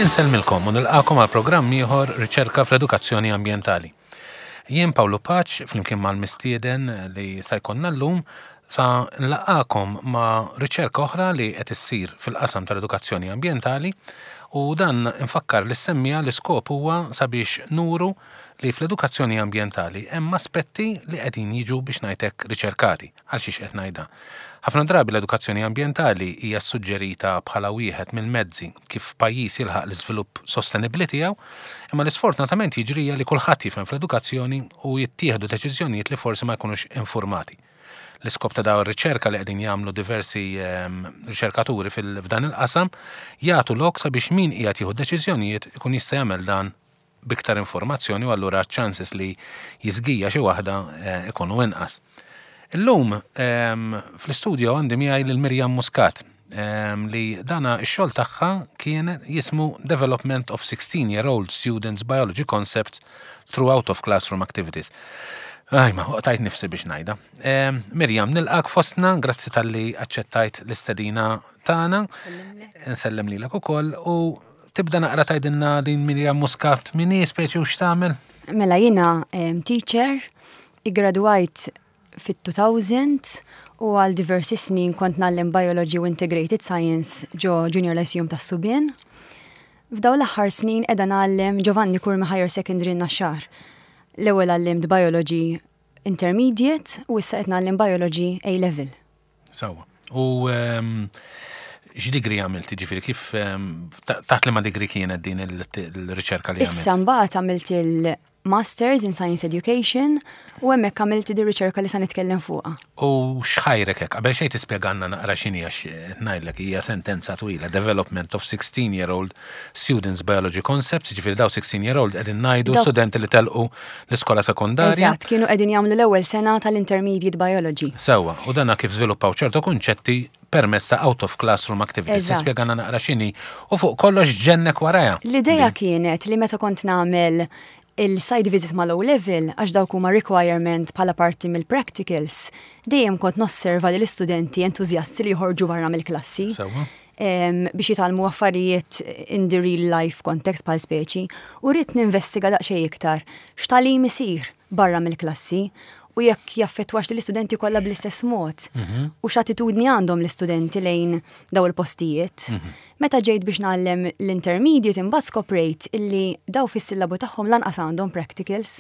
Insellmilkom u nilqakom għal programm ieħor Riċerka fl-Edukazzjoni Ambjentali. Jien Pawlu Paċ flimkien mal-mistieden li sa jkollna llum sa nlaqqakom ma' riċerka oħra li qed issir fil-qasam tal-edukazzjoni ambjentali u dan infakkar lis-semmiegħa l-iskop huwa sabiex nuru li fl-edukazzjoni ambjentali hemm aspetti li qegħdin jiġu biex ngħid hekk riċerkati. Għal xiex qed ngħid dan? Ħafna drabi l-edukazzjoni ambjentali hija ssuġġerita bħala wieħed mill-mezzi kif pajjiż jilħaq l-iżvilupp sostenibbli tiegħu, imma li sfortunatament jiġri hija li kulħadd jifhem fl-edukazzjoni u jittieħdu deċiżjonijiet li forsi ma jkunux infurmati. L-iskop ta' dawn ir-riċerka li qegħdin jagħmlu diversi riċerkaturi f'dan il-qasam jagħtu lok sabiex min qiegħed jieħu d-deċiżjonijiet ikun jista' jagħmel dan b'iktar informazzjoni u allura ċ-chances li jiżgija xi waħda ikunu inqas. Illum fl-istudio għandi miegħi lil Miriam Muscat li dana x-xogħol tagħha kien jismu Development of 16 Year Old Students Biology Concepts Through Out of Classroom Activities. Ajma, tajt nifsi biex ngħidha. Miriam, nilqak fostna, grazzi talli aċċettajt l-istedina tagħna. Nsellem lilek ukoll u Tibda naqra tgħidilna din Miriam Muscat min hi speċi u x'tagħmel? Mela jiena teacher, iggradwajt fit-2000 u għal diversi snin kont ngħallem Biology u Integrated Science ġo Junior Lyceum tas-Subien. F'dawn l-aħħar snin qiegħda ngħallem Giovanni Curmi Higher Secondary Naxxar. L-ewwel għallimt Biology Intermediate u issa qed ngħallem Biology A Level. Sewwa. U ehm, x'degree għamilt, ġifieri kif ehm, taħt liema degree kienet din il-riċerka li għamilt? Issa mbagħad għamilt il-Masters in Science Education u hemmhekk għamilt di riċerka li sa nitkellem fuqha. U x'ħajrek hekk? Qabel xejn tispjegalna naqra x'inhi għax qed ngħidlek hija sentenza twila, Development of 16 year old Students Biology Concepts, ġifieri daw 16 year old qegħdin ngħidu studenti li telqu l-iskola sekondarja. Eżatt, kienu qegħdin jagħmlu l-ewwel sena tal-Intermediate Biology. Sewwa, u dana kif żviluppaw ċertu kunċetti permezz ta' out of classroom activities. Tispjegana naqra x'inhi u fuq kollox x'ġennek warajha. L-idea kienet li meta kont nagħmel il-site visits mal-O level, għax dawk huma requirement bħala parti mill-practicals, dejjem kont nosserva li l-istudenti entużjasti li joħorġu barra mill-klassi. Biex jitgħallmu affarijiet in the real life context bħal speċi u ridt ninvestiga daqsxejn iktar x'tagħlim isir barra mill-klassi u jekk jaffettwax lill-istudenti kollha bl-istess mod mhm. u x'attitudni għandhom l-istudenti lejn daw il-postijiet. Mhm. Meta ġejt biex ngħallem l-intermediate imbagħad skoprejt illi daw fis-sillabu tagħhom lanqas għandhom practicals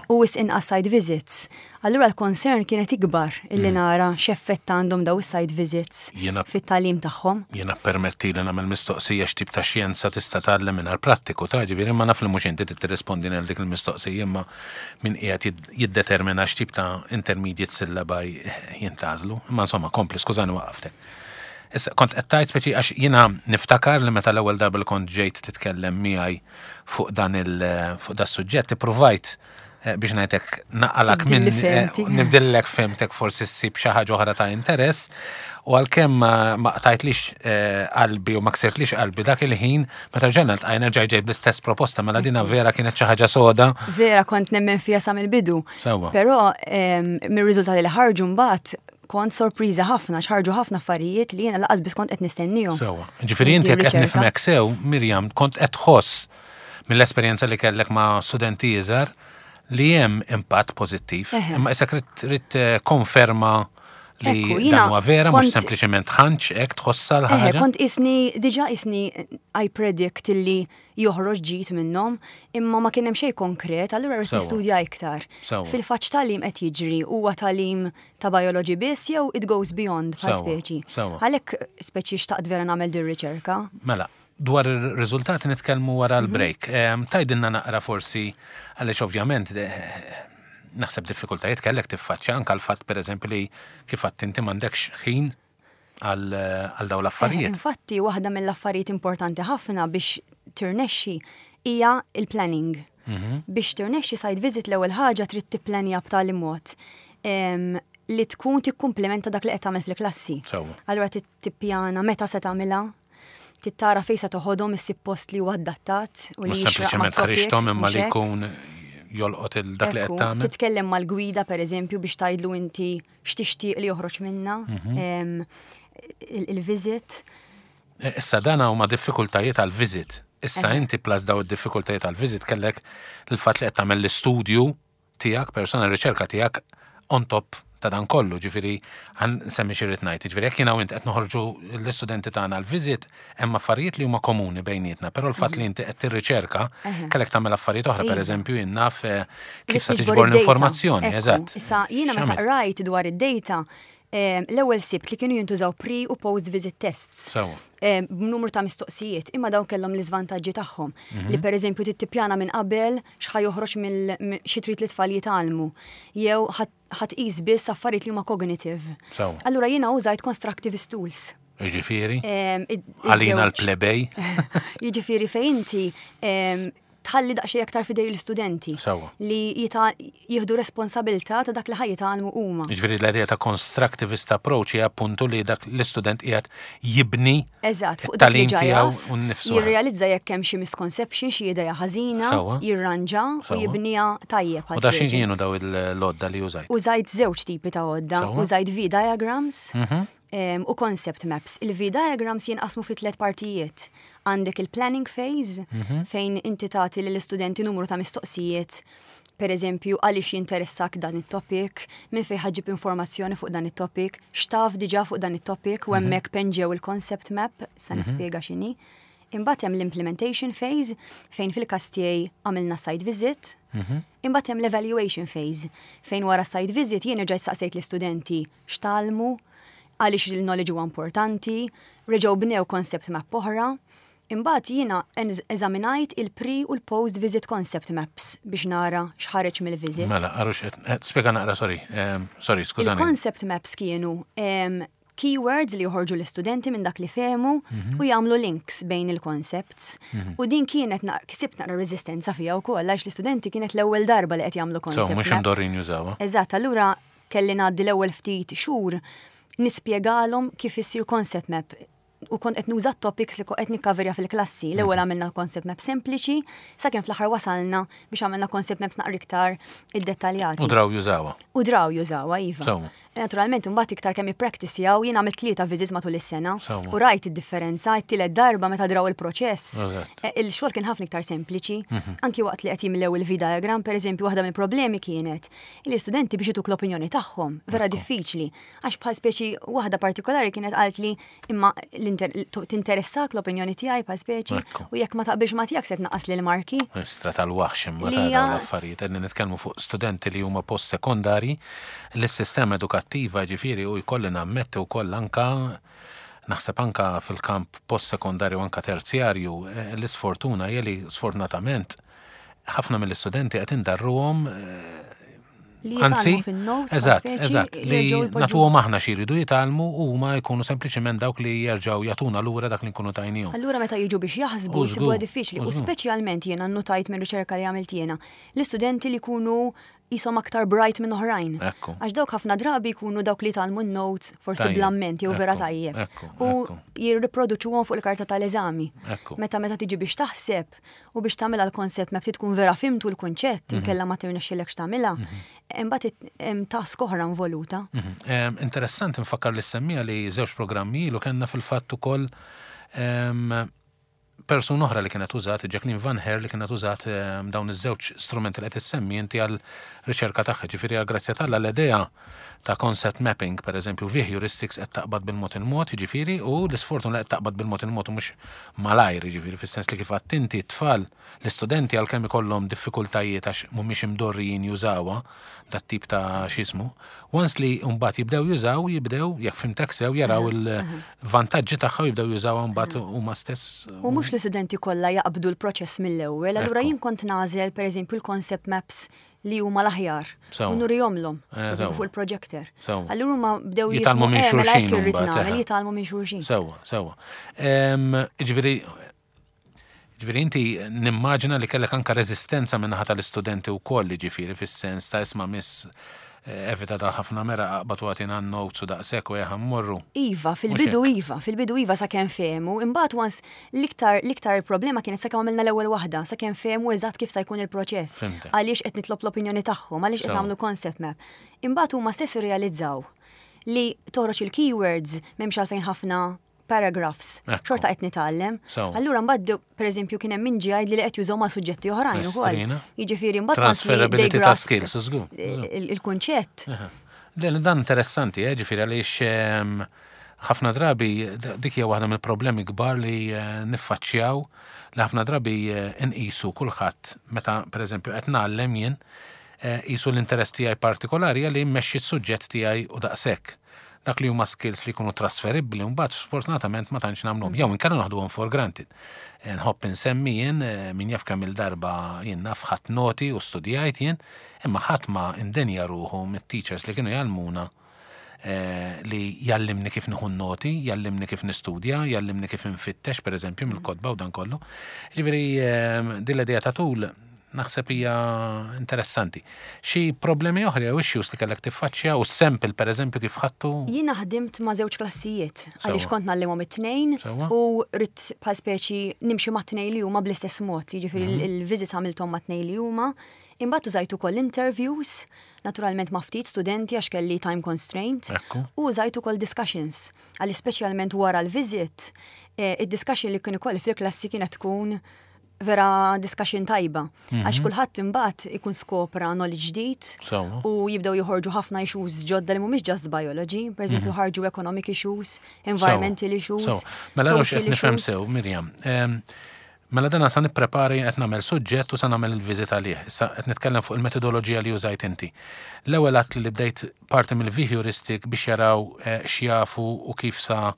u wis inqas site visits. Allura l-concern kienet ikbar illi nara x'effett għandhom daw is-site visits fit-tagħlim tagħhom. Jiena ppermettili nagħmel mistoqsija x'tip ta' xjenza tista' tgħallem mingħajr prattiku ta' ġifieri imma naf li mhux inti trid tirrispondini għal dik il-mistoqsija imma min qiegħed jiddetermina x'tip ta' intermediate syllabi jintgħażlu. Imma insomma kompli skużani waqqaftek. Issa kont qed tgħid speċi għax jiena niftakar li meta l-ewwel darba li kont ġejt titkellem miegħi fuq dan il fuq das-suġġett ippruvajt Eh, biex ngħidlek naqalak minn eh, nibdillek fehmtek forsi ssib xi ħaġa oħra ta' interess u għalkemm ma qtajtlix eh, qalbi u ma ksirtlix qalbi dak il-ħin meta rġajna ltqajna ġej ġej bl-istess proposta mela dina vera kienet xi ħaġa soda. Vera kont nemmen fija sa mill-bidu. Sewwa. Però ehm, mir-riżultati li ħarġu mbagħad kont sorpriża ħafna x'ħarġu ħafna affarijiet li jiena laqas biss kont qed nistennihom. Sewwa. Ġifieri inti jekk qed nifhmek sew, Mirjam, kont qed tħoss mill-esperjenza li kellek ma' studenti iżgħar li hemm impatt pożittiv. Imma issa trid eh, konferma li dan huwa vera, mhux sempliċement ħanċ hekk tħossha l-ħaġa. Kont isni diġà isni I predict illi joħroġ ġid minnhom, imma ma kien hemm xejn konkret, allura rrid nistudja iktar. Fil-fatt tagħlim qed jiġri huwa tagħlim ta' biology biss jew it goes beyond bħal speċi. Għalhekk speċi xtaqt vera nagħmel din riċerka. Mela, Dwar ir-riżultati nitkellmu wara l-break. Tgħidilna naqra forsi għaliex ovvjament naħseb diffikultajiet kellek tiffaċċja anke l-fatt pereżempju li kif għedt inti m'għandekx ħin għal dawn l-affarijiet. Infatti waħda mill-affarijiet importanti ħafna biex tirnexxi hija il-planning. Mhm. Biex tirnexxi site visit l-ewwel ħaġa trid tipplanja b'tali mod li tkun tikkumplementa dak li qed tagħmel fil-klassi. Allura tippjana meta se tagħmilha, trid tara fejn se toħodhom issib post li huwa adattat u li Mhux sempliċement ħriġthom imma li jkun jolqot il dak li qed tagħmel. Titkellem mal-gwida pereżempju biex tgħidlu inti x'tixtieq li joħroġ minnha mhm. il-visit. E, issa dan huma diffikultajiet għal visit. Issa inti plus daw id-diffikultajiet għal-visit kellek il-fatt li qed tagħmel l-istudju tiegħek, persona riċerka tiegħek on top ta' dan kollu, ġifieri ħa nsemmi xi rrid ngħid. Ġifieri jekk jiena u int qed noħorġu l-istudenti tagħna l-visit, hemm affarijiet li huma komuni bejnietna, però l-fatt li inti qed tirriċerka kellek tagħmel affarijiet oħra, pereżempju jien naf kif sa tiġbor l-informazzjoni, eżatt. Issa jiena meta qrajt dwar id-data, l-ewwel sibt li kienu jintużaw pre u post visit tests. B'numru ta' mistoqsijiet, imma dawn kellhom l-iżvantaġġi tagħhom. Li pereżempju trid tippjana minn qabel x'ħa joħroġ mill xi trid li tfal jitgħallmu. Jew ħa tqis biss affarijiet li huma cognitive. Allura jiena użajt constructivist tools. Jiġifieri? Għalina l-plebej. Jiġifieri fejn inti tħalli daqsxejn aktar f'idej l-istudenti. Li jieħdu responsabilità ta' dak li ħa jitgħallmu huma. Jiġifieri l-idea ta' constructivist approach hija appuntu li dak l-istudent qiegħed jibni Eżatt, fuq dak li ġa jaf, jirrealizza jekk hemm xi misconception, xi idea ħażina, jirranġa u jibniha tajjeb. U da xi kienu daw il-għodda li użajt? Użajt żewġ tipi ta' għodda. Użajt V-diagrams u concept maps. Il-V-diagrams jinqasmu fi tliet partijiet. Għandek il-planning phase, fejn inti tagħti lill-istudenti numru ta' mistoqsijiet, per eżempju, għaliex jinteressak dan it-topic, minn fejn ħa ġġib informazzjoni fuq dan it-topic, x'taf diġà fuq dan it-topic, u hemmhekk penġew il-concept map, sa nispjega x'inhi. Imbagħad hemm l-implementation phase, fejn fil-każ tiegħi għamilna site visit. Imbagħad hemm l-evaluation phase, fejn wara site visit jien erġajt saqsejt l-istudenti x'tgħallmu, għaliex il-knowledge huwa importanti, reġgħu bnew concept map oħra. Imbagħad jiena eżaminajt il-pre u l-post visit concept maps biex nara x'ħareġ mill-visit. Mela, għarux, spjega naqra, sorry, sorry, skużani. Il-concept maps kienu keywords li joħorġu l-istudenti minn dak li fehmu u jagħmlu links bejn il-concepts. U din kienet ksibt naqra reżistenza fiha wkoll għax l-istudenti kienet l-ewwel darba li qed jagħmlu concept. So, mhux imdorrin jużawha. Eżatt, allura kelli ngħaddi l-ewwel ftit xhur nispjegalhom kif issir concept map u kont qed nuża topics li qed nikkaverja fil-klassi. L-ewwel għamilna concept map sempliċi, sakemm fl-aħħar wasalna biex għamilna concept maps naqra iktar iddettaljati. U draw jużawha. U draw jużawha, iva. Naturalment, imbagħad iktar kemm ippractice-jaw, jien għamilt tlieta visits matul is-sena u rajt id-differenza, it-tielet darba meta draw il-proċess. Il-xogħol kien ħafna iktar sempliċi. Anki waqt li qed jimlew il-V-diagram, per eżempju, waħda mill-problemi kienet li l-istudenti biex ituk l-opinjoni tagħhom, vera diffiċli. Għax bħal speċi waħda partikolari kienet qalt li imma tinteressak l-opinjoni tiegħi bħal speċi u jekk ma taqbilx ma tiegħek se tnaqqas lil marki. Istra tal-waħx imma ta' dawn l-affarijiet qegħdin nitkellmu fuq studenti li huma post-sekondari l-sistema edukattiva ġifieri u jkolli nammetti wkoll anka naħseb anka fil-kamp post-sekondarju anka terzjarju l-isfortuna hija li sfortunatament ħafna mill-istudenti qed indarruhom Anzi, eżatt, eżatt, li nagħtuhom aħna xi jridu jitgħallmu u huma jkunu sempliċement dawk li jerġgħu jagħtuna lura dak li nkunu tajnihom. Allura meta jiġu biex jaħsbu jsibuha diffiċli u speċjalment jiena nnotajt minn riċerka li għamilt jiena, l-istudenti li jkunu qishom aktar bright minn oħrajn. Għax dawk ħafna drabi jkunu dawk li jitgħallmu n-notes forsi bl-amment jew vera tajjeb. U jirriproduċuhom fuq il-karta tal-eżami. Meta meta tiġi biex taħseb u biex tagħmilha l-concept map trid tkun vera fhimtu l-kunċett, inkella ma tirnexxilekx tagħmilha, imbagħad hemm task oħra involuta. Interessanti nfakkar li semmija li żewġ programmi ilu kellna fil-fatt ukoll persuna oħra li kienet użat, Jacqueline Van Her li kienet użat dawn iż-żewġ strumenti li qed issemmi inti għal riċerka tagħha. Ġifieri għal grazzja t'Alla l-idea ta' concept mapping, per eżempju, via heuristics qed taqbad bil-mod il-mod, jiġifieri, u l-isfortuna li qed taqbad bil-mod il-mod u mhux malajr, jiġifieri fis-sens li kif għedt inti t-tfal, l-istudenti għalkemm ikollhom diffikultajiet għax mhumiex imdorrijin jużawha dat-tip ta' x'jismu, once li mbagħad jibdew jużaw, jibdew, jekk fhimtek sew, jaraw il-vantaġġi tagħha u jibdew jużawha mbagħad huma stess. U mhux l-istudenti kollha jaqbdu l-proċess mill-ewwel, allura jien kont nagħżel pereżempju l-concept maps li huma l-aħjar u nurihomlhom fuq il-projector. Allura huma bdew jitgħallmu minn xulxin. Irrid nagħmel jitgħallmu minn xulxin. Sewwa, sewwa. Ġifieri Ġifieri inti nimmaġina li kellek anka reżistenza min-naħa tal-istudenti wkoll, jiġifieri fis-sens ta' isma' miss evita ta' ħafna meraq aqbad u agħtina n-notes u daqshekk u ejja ħa mmorru. Iva, fil-bidu iva, fil-bidu iva sakemm fehmu, imbagħad once l-iktar l-iktar problema kienet sakemm għamilna l-ewwel waħda, sakemm fehmu eżatt kif sa jkun il-proċess. Għaliex qed nitlob l-opinjoni tagħhom, għaliex qed nagħmlu concept map. Imbagħad huma stess irrealizzaw li toħroġ il-keywords m'hemmx għalfejn ħafna. paragraphs. Xorta qed nitgħallem. Allura mbagħad pereżempju kien hemm min ġie jgħidli li qed jużaw ma' suġġetti oħrajn ukoll. Jiġifieri mbagħad transferability ta' skills, żgur. Il-kunċett. Dan interessanti, eh, ġifieri għaliex ehm, ħafna drabi dik hija waħda mill-problemi kbar li eh, niffaċċjaw li ħafna drabi eh, nqisu kulħadd meta pereżempju qed ngħallem jien qisu l-interess tiegħi partikolari li mmexxi s-suġġett tiegħi u daqshekk. Dak li huma skills li jkunu trasferibbli mbagħad sfortunatament ma tantx nagħmluhom jew inkella naħduhom for granted. Nħobb insemmi jien min jaf kemm il-darba jien naf ħadt noti u studjajt jien, imma ħadd ma indenja ruħu mit-teachers li kienu jgħallmuna li jgħallimni kif nieħu n-noti, jgħallimni kif nistudja, jgħallimni kif infittex pereżempju mill-kotba u dan kollu. Ġifieri din l-idea ta' tul naħseb hija interessanti. Xi problemi oħra jew issues li kellek tiffaċċja u s-sample pereżempju kif ħadtu? Jiena ħdimt ma' żewġ klassijiet għaliex kont ngħallimhom it-tnejn u ridt bħal speċi nimxi mat-tnejn li huma bl-istess mod, jiġifieri mhm. il-visits għamilthom mat-tnejn li huma. Imbagħad użajt ukoll interviews, naturalment ma' ftit studenti għax kelli time constraint, u użajt ukoll discussions, għaliex speċjalment wara l-visit, eh, id-discussion li kien ikolli fil-klassi kienet tkun vera discussion tajba. Mhm. Għax kulħadd imbagħad ikun skopra knowledge ġdid u jibdew joħorġu ħafna issues ġodda li mhumiex just biology, per eżempju mhm. ħarġu economic issues, environmental issues. Mela qed nifhem sew, Mirjam. Mela dana sa nipprepari qed nagħmel suġġett u sa nagħmel il-viżit għalih. Issa qed nitkellem fuq il-metodoloġija li użajt inti. L-ewwel għadt li bdejt parti mill-V-heuristic biex jaraw eh, x'jafu u kif sa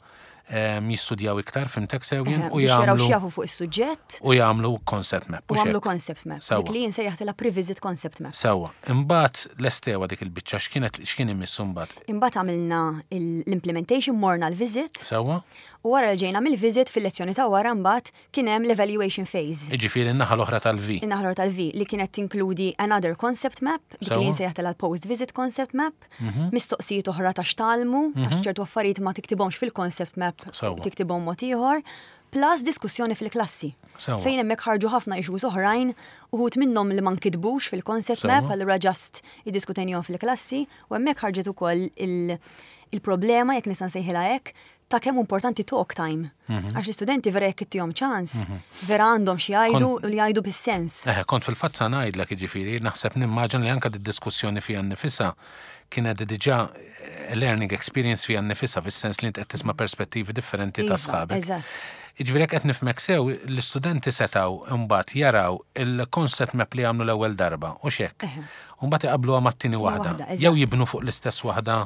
jistudjaw iktar, fimtek sew jien, u jagħmlu. X'jafu fuq is-suġġett. U jagħmlu concept map. U jagħmlu concept map. Dik li jien sejjaħtilha pre-visit concept map. Sewwa. Imbagħad lestewa dik il-biċċa x'kienet x'kien imissu mbagħad? Imbagħad għamilna l-implementation, morna l-visit. Sewwa. U wara li ġejna mill-visit fil-lezzjoni ta' wara mbagħad kien hemm l-evaluation phase. Jiġifieri n-naħa l-oħra tal-V. In-naħa l-oħra tal-V li kienet tinkludi another concept map, dik li jien sejjaħtilha l-post-visit concept map, mistoqsijiet oħra ta' x'tgħallmu, għax ċertu affarijiet ma tiktibhomx fil-concept map, tiktibhom mod ieħor, plus diskussjoni fil-klassi. Fejn hemmhekk ħarġu ħafna issues oħrajn, uħud minnhom li ma nkitbux fil-concept map, allura just iddiskutejnihom fil-klassi, u hemmhekk ħarġet ukoll il-problema, jekk nista' nsejħilha hekk, ta' kemm importanti talk time. Mhm. Għax l-istudenti vera jekk ittihom ċans, mhm. vera għandhom xi jgħidu u li jgħidu bis-sens. Eh, kont fil-fatt sa ngħidlek jiġifieri, naħseb nimmaġina li anke diskussjoni fiha nnifisha kienet diġà eh, learning experience fiha nnifisha fis-sens li int qed tisma' perspettivi differenti ta' iva, sħabek. Eżatt. Jiġifieri jekk qed nifhmek sew, l-istudenti setgħu mbagħad jaraw il-concept map li għamlu l-ewwel darba, u x'hekk. U mbagħad iqabbluha mat-tieni waħda. Jew jibnu fuq l-istess waħda.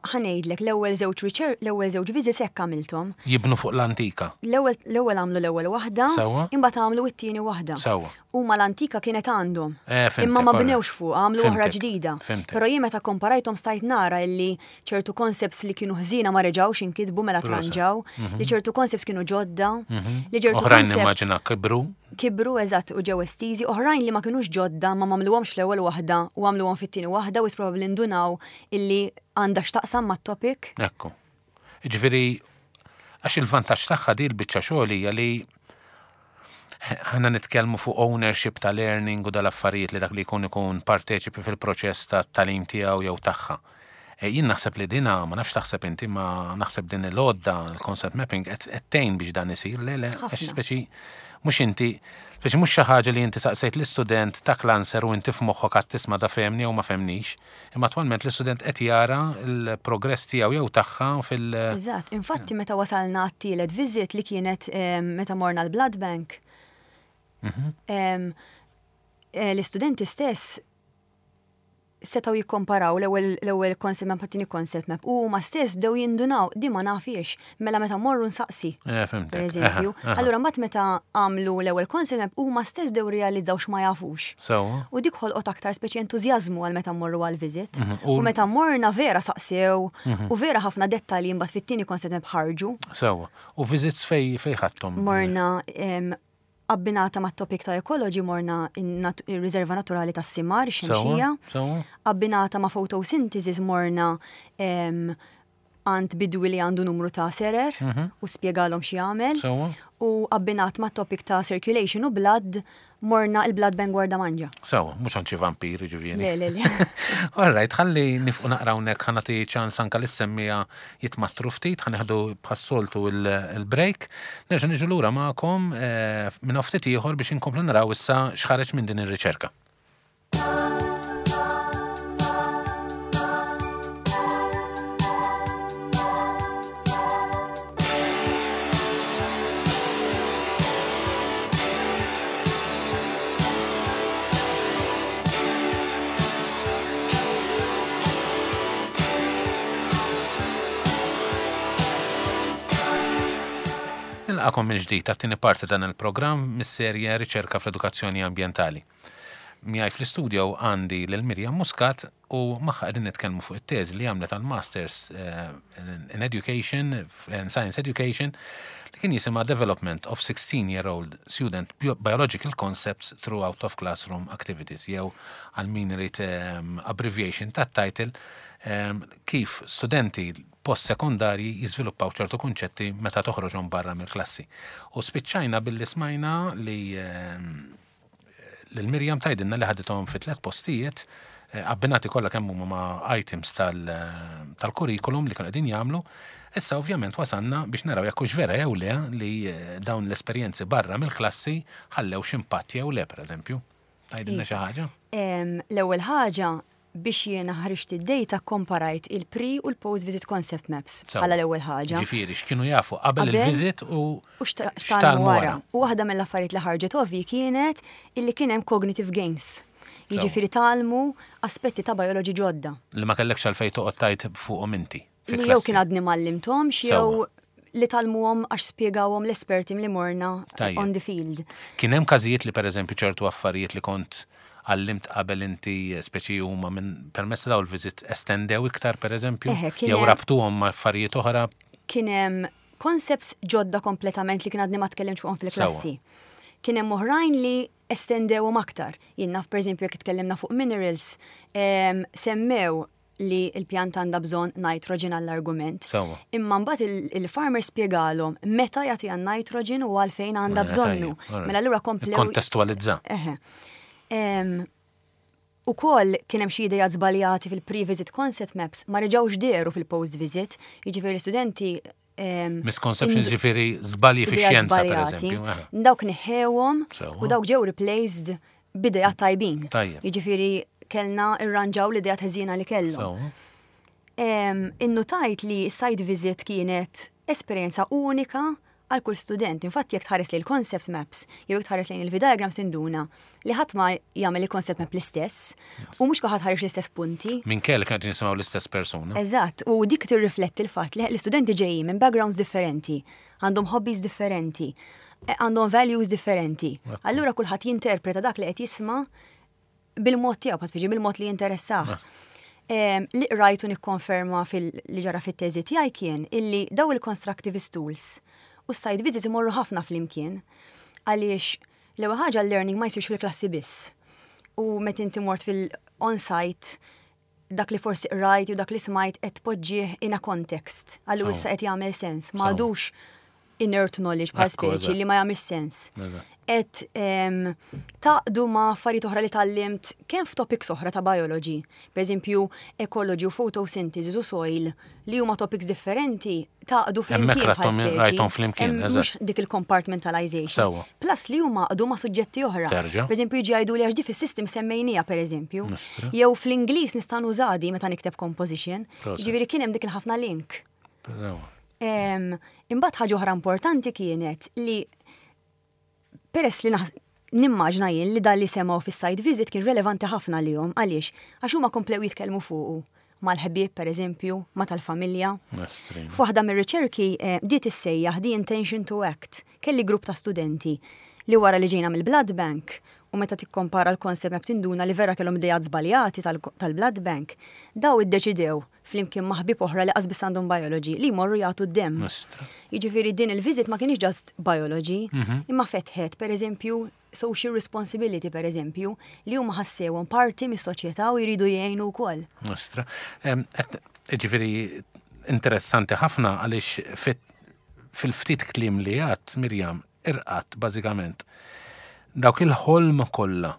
Ħa ngħidlek, l-ewwel żewġ riċer, l-ewwel żewġ visits hekk għamilthom. Jibnu fuq l-antika. L-ewwel, l-ewwel għamlu l-ewwel waħda. Sewwa. Imbagħad għamlu it-tieni waħda. Sewwa. Huma l-antika kienet għandhom. Eh, fhimtek. Imma ma bnewx fuqha, għamlu oħra ġdida. Fhimtek. Però jien meta kkomparajthom stajt nara illi ċertu concepts li kienu ħżiena ma reġgħux inkitbu mela tranġaw, li ċertu concepts kienu ġodda, li ċertu concepts. Oħrajn nimmaġina kibru. Kibru, eżatt, u ġew estiżi, oħrajn li ma kinux ġodda ma m'għamluhomx fl-ewwel waħda u għamluhom fit-tieni waħda u probabbli ndunaw illi għandha x'taqsam mat-topic. Ekku. Jiġifieri, għax il-vantaġġ tagħha di l-biċċa xogħol hija li ħana nitkellmu fuq ownership ta' learning u dal-affarijiet li dak li jkun ikun parteċipi fil-proċess ta' tagħlim tiegħu jew tagħha. E, jien naħseb li dina, ma nafx taħseb inti, ma naħseb din il-għodda, il-concept mapping, qed tgħin biex dan isir, le le, għax speċi mhux inti, speċi mhux xi ħaġa li inti saqsejt l-istudent tak l-answer u inti f'moħħok għad tisma' da fehmni jew ma fehmnix. Imma attwalment l-istudent qed jara l-progress tiegħu jew tagħha fil- Eżatt, infatti meta wasalna għat-tielet visit li kienet meta morna l-blood bank, l-istudenti stess setgħu jikkomparaw l-ewwel concept map mat-tieni concept map u huma stess bdew jindunaw di ma nafhiex, mela meta mmorru nsaqsi. Eh, fhimtek. Per eżempju. Allura mbagħad meta għamlu l-ewwel concept map huma stess bdew irrealizzaw x'ma jafux. Sewwa. U dik ħolqot aktar speċi entużjażmu għal meta mmorru għal visit. U meta morna vera saqsew u vera ħafna dettalji mbagħad fit-tieni concept map ħarġu. Sewwa. U visits fej fej ħadthom? Morna abbinata mat-topic ta' ecology morna ir-riserva naturali tas-Simar, ix-Xemxija. Sewwa. Abbinata ma' photosynthesis morna għand bidwi li għandu numru ta' serer u spjegalhom x'jagħmel. U abbinat ma' topic ta' circulation u blood morna il-Blood Bank Gwardamanġa. Sewa, mhux għand xi vampir, ġifieri. Le, le, le. All right, ħalli nifqu naqra hawnhekk ħa nagħti ċans anke lis-semmiegħa jitmattru ftit, ħa nieħdu bħas-soltu il-break. Nerġa' niġu lura magħkom eh, minn ftit ieħor biex inkomplu naraw issa x'ħareġ minn din ir-riċerka. Nilqakom mill-ġdid għat-tieni parti dan il-programm mis-serje Riċerka fl-Edukazzjoni Ambjentali. Miegħi fl-istudio għandi lil Miriam Muscat u magħha qegħdin nitkellmu fuq it-teżi li għamlet għal Masters eh, in Education, in Science Education, li kien jisimha Development of 16-year-old Student Biological Concepts Through Out of Classroom Activities, jew għal min irid ehm, abbreviation tat-title, ehm, kif studenti post-sekondarji jiżviluppaw ċertu kunċetti meta toħroġhom barra mill-klassi. U spiċċajna billi smajna li ehm, Lil Miriam tgħidilna li ħadithom fi tlett postijiet abbinati kollha kemm huma ma' items tal-kurrikulum li kienu qegħdin jagħmlu. Issa ovvjament wasalna biex naraw jekk hux vera jew le li dawn l-esperjenzi barra mill-klassi ħallew x'impatt jew le, pereżempju. Tgħidilna xi ħaġa? L-ewwel ħaġa Biex jiena ħriġt id-data kkomparajt il-pre u l-post visit concept maps bħala l-ewwel ħaġa. Ġifieri x'kienu jafu qabel il-visit u x'tgħallmu wara. U waħda mill-affarijiet li ħarġet ovvji kienet illi kien hemm cognitive gains. Jiġifieri tgħallmu aspetti ta' biology ġodda. Li ma kellekx għalfejn toqgħod tgħid fuqhom inti. Li jew kien għadni m'għallimthomx jew li tgħallmuhom għax spjegawhom l-esperti li morna on the field. Kien hemm każijiet li pereżempju ċertu affarijiet li kont għallimt qabel inti speċi huma minn permezz ta' dawn il-visit estendew iktar pereżempju? Jew rabtuhom ma' affarijiet oħra? Kien hemm concepts ġodda kompletament li kien għadni ma tkellimtx fuqhom fil-klassi. Kien hemm oħrajn li estendewhom aktar. Jien naf pereżempju jekk tkellimna fuq minerals, semmew li l-pjanta għandha bżonn nitrogen għall-argument. Sewwa. Imma mbagħad il-farmer spjegalhom meta jagħtiha n-nitrogen u għalfejn għandha Mela, bżonnu. tajjeb, alright. Mela allura komplew. Ikkontestualizza. Eħe. Em, Ukoll kien hemm xi ideat żbaljati fil-pre-visit concept maps ma reġgħux dehru fil-post-visit, jiġifieri l-istudenti em, Misconceptions indu- ġifieri żbalji ideat fix-xjenza żbaljati, pereżempju. eħe. Dawk neħħewhom Sewwa. u dawk ġew replaced b'ideat tajbin. Tajjeb. Jiġifieri kellna irranġaw l-ideat ħżiena li kellhom. Sewwa. Innutajt li site visit kienet esperjenza unika għal kull student. Infatti jekk tħares lejn il-concept maps jew jekk tħares lejn il-V-diagrams tinduna li ħadd ma jagħmel il-concept map l-istess u mhux kulħadd ħareġ l-istess punti. Minkejja li kienu qegħdin jisimgħu l-istess persuna. Eżatt, u dik tirrifletti l-fatt li l-istudenti ġejjin minn backgrounds differenti, għandhom hobbies differenti, għandhom values differenti. Allura kulħadd jinterpreta dak li qed jisma' bil-mod tiegħu, bħal speċi bil-mod li jinteressah. Li qrajt u nikkonferma fil-li ġara fit-teżi tiegħi kien illi daw il-constructivist tools u s-site visits imorru ħafna flimkien għaliex l-ewwel ħaġa l-learning ma jsirx fil-klassi biss. U meta inti mort fil-on-site dak li forsi qrajt jew dak li smajt qed tpoġġih in a context. Allura issa qed jagħmel sens, ma għadux inert knowledge bħal speċi li ma jagħmilx sens. Qed taqdu ma' affarijiet oħra li tgħallimt kemm f'topics oħra ta' biology, pereżempju ecology u photosynthesis u soil li huma topics differenti taqdu flimkien bħal speċi. Rajthom flimkien, Mhux dik il-compartmentalization. Plus li huma għaqdu ma' suġġetti oħra. Pereżempju jiġi jgħidu li għax di fis-system semmejniha pereżempju. Jew fl-Ingliż nista' nuża di meta nikteb composition. Jiġifieri kien hemm dik il-ħafna link. Imbagħad ħaġa oħra importanti kienet li peress li nimmaġna jien li dan li semgħu fis-site visit kien relevanti ħafna għalihom. Għaliex? Għax huma komplew jitkellmu fuqu mal-ħbieb pereżempju, ma' tal-familja. F'waħda mir-riċerki eh, bdiet issejjaħ the intention to act. Kelli grupp ta' studenti li wara li ġejna mill-blood bank u meta tikkompara l-concept map tinduna li vera kellhom ideat żbaljati tal-blood bank, daw iddeċidew flimkien ma' ħbieb oħra li qas biss għandhom biology li jmorru jagħtu d-demm. Jiġifieri din il-visit ma kienx just biology, mhm. imma fetħet pereżempju social responsibility pereżempju li huma ħassewhom parti mis-soċjetà u jridu jgħinu wkoll. Nostra. Ġifieri Interessanti ħafna għaliex fil-ftit kliem li għedt, Mirjam, irqatt bażikament dawk il-ħolm kollha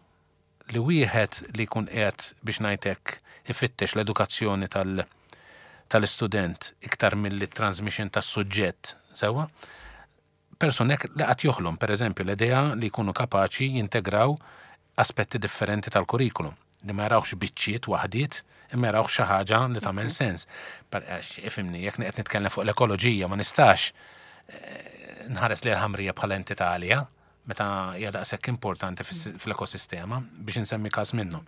li wieħed li jkun qiegħed biex ngħid hekk ifittex l-edukazzjoni tal-istudent iktar milli transmission tas-suġġett, sewwa? Persuni hekk li qatt joħlom, pereżempju, l-idea li jkunu kapaċi jintegraw aspetti differenti tal-kurrikulum, li ma jarawx biċċiet waħdiet, imma jarawx xi ħaġa li tagħmel sens. Ifhimni, jekk qed nitkellem fuq l-ekoloġija ma nistax eh, nħares li l-ħamrija bħala entità għalija, meta hija daqshekk importanti fl-ekosistema biex insemmi każ minnhom.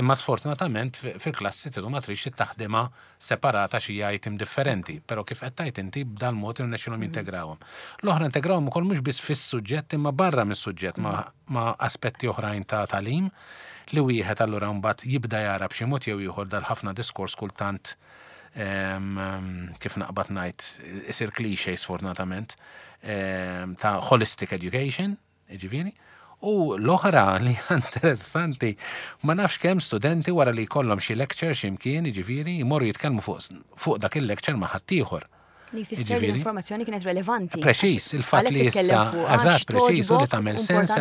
Imma sfortunatament fil-klassi tidu ma trix taħdimha separata xi item differenti, però kif qed tgħid inti b'dan mod irnexxilhom jintegrawhom. L-oħra integrawhom ukoll mhux biss fis-suġġett imma barra mis-suġġett ma' aspetti oħrajn ta' tagħlim li wieħed allura mbagħad jibda jara b'xi mod jew ieħor dal-ħafna diskors kultant kif naqbad ngħid isir cliché sfortunatament ta' holistic education, ġifieri. U l-oħra li interessanti, ma nafx kemm studenti wara li jkollhom xi lecture x'imkien, ġifieri, jmorru jitkellmu fuq dak il-lecture ma' ħaddieħor. Li jfisser li l-informazzjoni kienet relevanti. Preċis, il-fatt li issa, eżatt, preċis, u li tagħmel sens.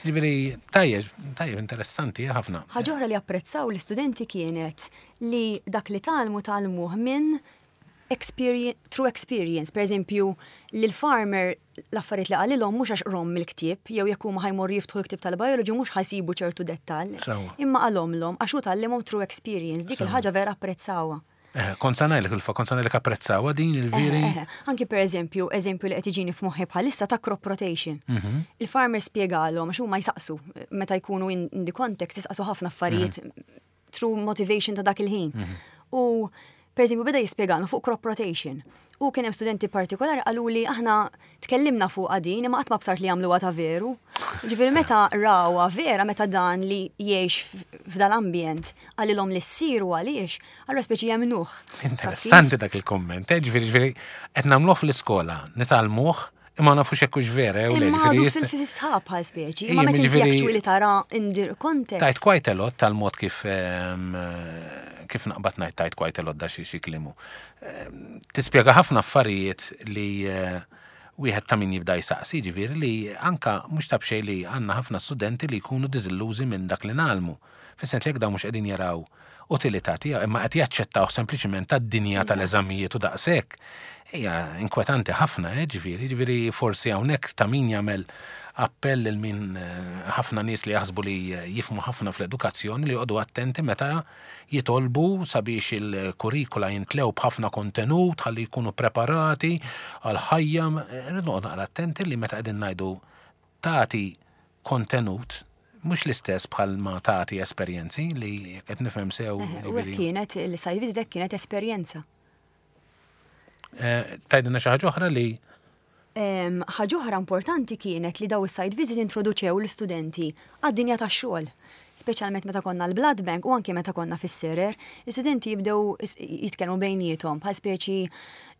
Ġifieri, tajjeb, tajjeb, interessanti ħafna. Ħaġa oħra li apprezzaw l-istudenti kienet li dak li tgħallmu tgħallmuh minn experience, through experience. Per eżempju, li l-farmer l-affarijiet li qalilhom mhux għax qrahom mill-ktieb, jew jekk huma ħa jmorru jiftħu l-ktieb tal-biology mhux ħa jsibu ċertu dettall. Imma qalhomlhom għax hu tgħallimhom through experience, dik il-ħaġa vera apprezzawha. Eh, kont sa ngħidlek il kont sa ngħidlek apprezzawha din il-veri. Eh, eh, anki per eżempju, eżempju li qed jiġini f'moħħi bħalissa ta' crop rotation. Il-farmer spjegalhom għax huma jsaqsu meta jkunu in the context jisaqsu ħafna affarijiet through motivation ta' dak il-ħin. U per eżempju beda jispjegalhom fuq crop rotation. U kien hemm studenti partikolari qalu li aħna tkellimna fuq din imma qatt ma bsart li jagħmluha ta' veru. Ġifieri meta rawha vera meta dan li jgħix f'dal-ambjent qalilhom li ssiru għaliex, allura speċi jemmnuh. Interessanti dak il-komment, eh, ġifieri ġifieri qed nagħmluh fl-iskola, nitgħallmuh, imma nafux hekk hux vera jew le, Imma ġifieri għadu jista' fil-sħab bħal speċi, imma meta inti ġifieri- actually tara in the context. Tajt quite a lot tal-mod kif kif naqbad ngħid tajt quite a lot da xi xi klimu. Tispjega ħafna affarijiet li eh, wieħed ta' min jibda jsaqsi, ġifieri li anka mhux ta' b'xejn li għandna ħafna studenti li jkunu diżillużi minn dak li ngħallmu. Fis-sens li jekk dawn mhux qegħdin jaraw utilità tiegħu imma qed jaċċettawh sempliċiment tad-dinja tal-eżamijiet u daqshekk. Hija inkwetanti ħafna, eh, ġifieri, ġifieri forsi hawnhekk ta' min jagħmel appell lil min eh, ħafna nies li jaħsbu li jifhmu ħafna fl-edukazzjoni li joqogħdu attenti meta jitolbu sabiex il-kurrikula jintlew b'ħafna kontenut ħalli jkunu preparati għal ħajja. Rridu noqogħdu naqra attenti li meta qegħdin ngħidu tagħti kontenut mhux l-istess bħal ma tagħti esperjenzi li qed nifhem sew. U hekk kienet il-site visit hekk kienet esperjenza. Eh, Tgħidilna xi ħaġa oħra li Ħaġa oħra importanti kienet li daw is-site visit introduċew l-istudenti għad-dinja tax-xogħol. Speċjalment meta konna l-Blood Bank u anke meta konna fis-serer, l-istudenti jibdew jitkellmu bejniethom bħal speċi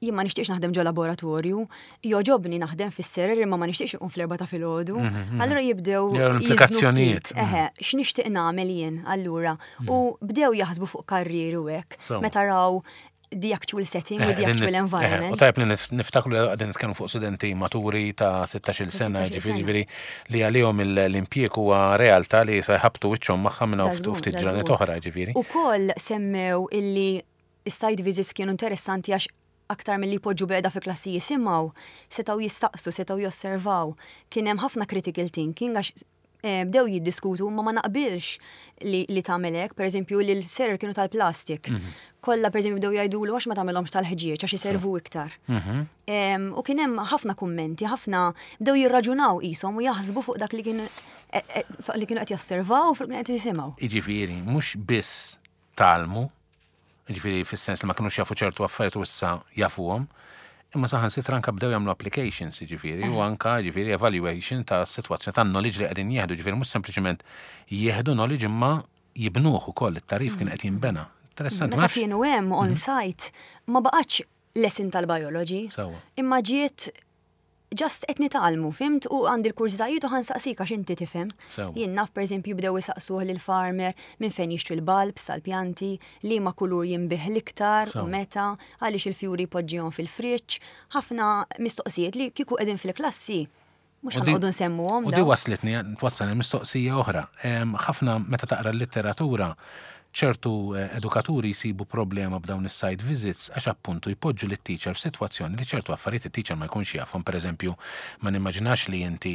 jien ma nixtieqx naħdem ġo laboratorju, jogħġobni naħdem fis-serer imma ma nixtieqx iqum fl-4 ta' filgħodu. Allura jibdew Jew jiżnu implikazzjonijiet. ftit. Eħe, x'nixtieq nagħmel jien allura. U bdew jaħsbu fuq karrieri u hekk. Sewa. Meta raw the actual setting u the actual U environment. tajb li niftakru li qegħdin nitkellmu fuq studenti maturi ta' 16 sena, 16 ġifieri sena. ġifieri li għalihom l-impjieg huwa realtà li se jħabtu wiċċhom magħha minn hawn Ta' żgur, ftit ta' ġranet żgur. oħra, ġifieri. U koll semmew illi is-site visits kienu interessanti għax aktar mill-li poġġu beda fi klassi jisimgħu, setgħu jistaqsu, setgħu josservaw. Kien hemm ħafna critical thinking għax bdew jiddiskutu ma ma naqbilx li tagħmel hekk, pereżempju li l-serer kienu tal-plastik. Kollha pereżempju bdew jgħidulu għax ma tagħmelhomx tal-ħġieġ għax iservu iktar. U kien hemm ħafna kummenti, ħafna bdew jirraġunaw qishom u jaħsbu fuq dak li kien fuq li kienu qed josservaw u fuq li kienu qed jisimgħu. Jiġifieri, mhux biss tgħallmu, jiġifieri fis-sens li ma kinux jafu ċertu affarijiet u issa jafuhom, imma saħansitra anka bdew jagħmlu applications, jiġifieri, u anka jiġifieri evaluation ta' sitwazzjoni ta' knowledge li qegħdin jieħdu, jiġifieri mhux sempliċement jieħdu knowledge imma jibnuh ukoll it-tagħrif kien qed jinbena. Interessanti, ma Meta nafx. kienu hemm on site ma baqgħetx lesson tal-biology. Sewwa. Imma ġiet Just qed nitgħallmu, fhimt, u għandi l-kurżitajiet u ħa nsaqsik għax inti tifhem. Jien naf pereżempju bdew isaqsuh lill-farmer minn fejn jixtri l-bulbs tal-pjanti, liema kulur jinbigħ l-iktar u meta, għaliex il-fjuri jpoġġihom fil-friġġ, ħafna mistoqsijiet li kieku qegħdin fil-klassi mhux ħa noqogħdu nsemmuhom. U di waslitni twassal mistoqsija oħra. Ħafna meta taqra l-litteratura ċertu edukaturi jsibu problema b'dawn is-site visits għax appuntu jpoġġu lit-teacher f'sitwazzjoni li ċertu affarijiet it-teacher ma jkunx jafhom. Pereżempju, ma nimmaġinax li inti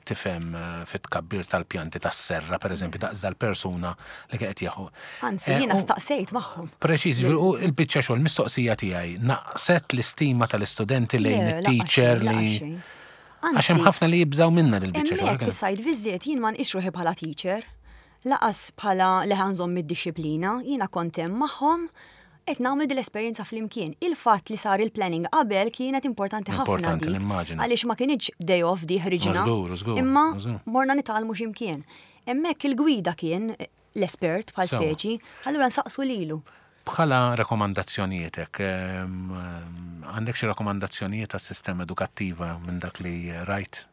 tifhem fit-tkabbir tal-pjanti tas-serra, pereżempju, daqs dal-persuna li qed jieħu. Anzi, jiena staqsejt magħhom. Preċiż, u l-biċċa xogħol mistoqsija tiegħi naqset l-istima tal-istudenti lejn it-teacher li. Għax hemm ħafna li jibżgħu minnha dil-biċċa xogħol. Hemmhekk fis-site visit jien ma nqisx ruħi bħala teacher. Laqas bħala li ħa nżomm id-dixxiplina, jiena kont hemm magħhom qed nagħmlu din l-esperjenza flimkien. Il-fatt li sar il-planning qabel kienet importanti ħafna. Importanti nimmaġina. Għaliex ma kinitx day off di ħriġna. Imma morna nitgħallmu x'imkien. Hemmhekk il-gwida kien l-espert bħal speċi, allura nsaqsu lilu. Bħala rakkomandazzjonietek, għandek xi rakkomandazzjonijiet għas-sistema edukattiva minn dak li rajt?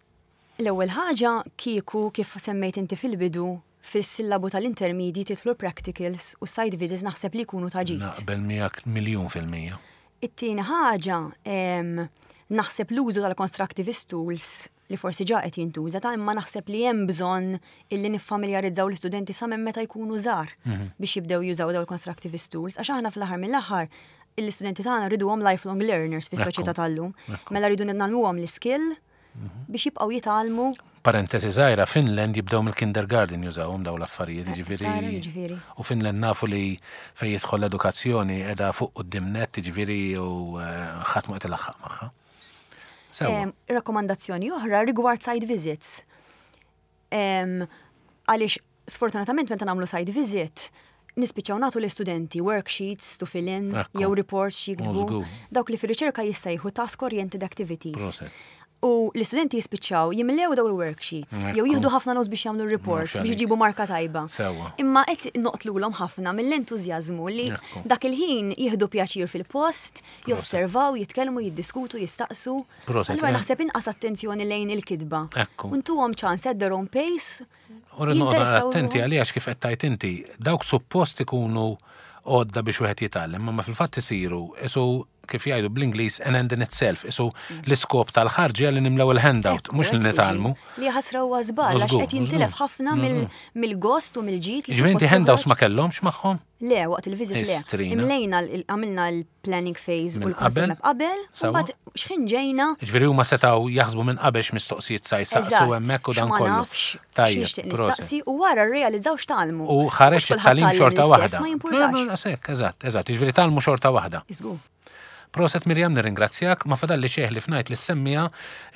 L-ewwel ħaġa kieku kif semmejt inti fil-bidu, fis-sillabu tal-intermedji tidħlu l-practicals u s-site visits naħseb li jkunu ta' ġid. Naqbel miegħek 1,000,000%. It-tieni ħaġa, naħseb l-użu tal-constructivist tools li forsi ġa qed jintuża ta' imma naħseb li hemm bżonn illi niffamiljarizzaw l-istudenti sa minn meta jkunu żgħar biex jibdew jużaw dawn il-constructivist tools għax aħna fl-aħħar mill-aħħar l-istudenti tagħna rriduhom lifelong learners fis-soċjetà tal-lum. Mela rridu ngħallmuhom l-iskill biex jibqgħu jitgħallmu. Parentesi żgħira, Finland jibdew mill-kindergarten jużawhom dawn l-affarijiet, jiġifieri. U Finland nafu li fejn jidħol l-edukazzjoni qiegħda fuq quddiem nett, jiġifieri u ħadd ma qed ilaħħaq magħha. Rakkomandazzjoni oħra rigward site visits. Għaliex sfortunatament meta nagħmlu site visit, nispiċċaw nagħtu l-istudenti worksheets to fill in jew reports jiktbu. Dawk li fir-riċerka jissejħu task oriented activities. U l-istudenti jispiċċaw jimlew daw il-worksheets, jew jieħdu ħafna notes biex jagħmlu reports biex jġibu marka tajba. Imma qed noqtlulhom ħafna mill-entużjażmu li dak il-ħin jieħdu pjaċir fil-post, josservaw, jitkellmu, jiddiskutu, jistaqsu. Allura naħseb inqas attenzjoni lejn il-kitba. U ntuhom ċans at their own pace. U rrid noqgħod attenti għalija kif qed tgħid inti, dawk suppost ikunu għodda biex wieħed jitgħallem, imma fil-fatt isiru isu kif jgħidu bl-Ingliż an end in itself, isu l-iskop tal-ħarġa li nimlew il-handout, mhux li nitgħallmu. Li ħasra huwa żball għax qed jintilef ħafna mill-gost u mill-ġid li. Ġifieri inti handouts ma kellhomx magħhom? Le, waqt il-visit le. Imlejna għamilna l-planning phase u l-concept map qabel, u mbagħad x'ħin ġejna. Ġifieri huma setgħu jaħsbu minn qabel x'mistoqsijiet sa jsaqsu hemmhekk u dan kollu. Ma nafx x'nixtieq nistaqsi u wara rrealizzaw x'tgħallmu. U ħareġ it-tagħlim xorta waħda. Ma jimpurtax. Eżatt, eżatt, jiġifieri tgħallmu xorta waħda. Żgur. Proset Miriam nirringrazzjak, ma fadalli xejn ħlief ngħid lis-semmiegħa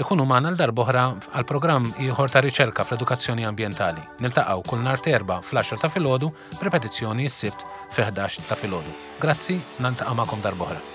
ikunu magħna għal darb'oħra għal programm ieħor ta' riċerka fl-edukazzjoni ambjentali. Niltaqgħu kull nhar t'Erbgħa fl-għaxra ta' filgħodu, b'ripetizzjoni s-Sibt fi 11 ta' filgħodu. Grazzi, naltaqa' magħkom darb'oħra.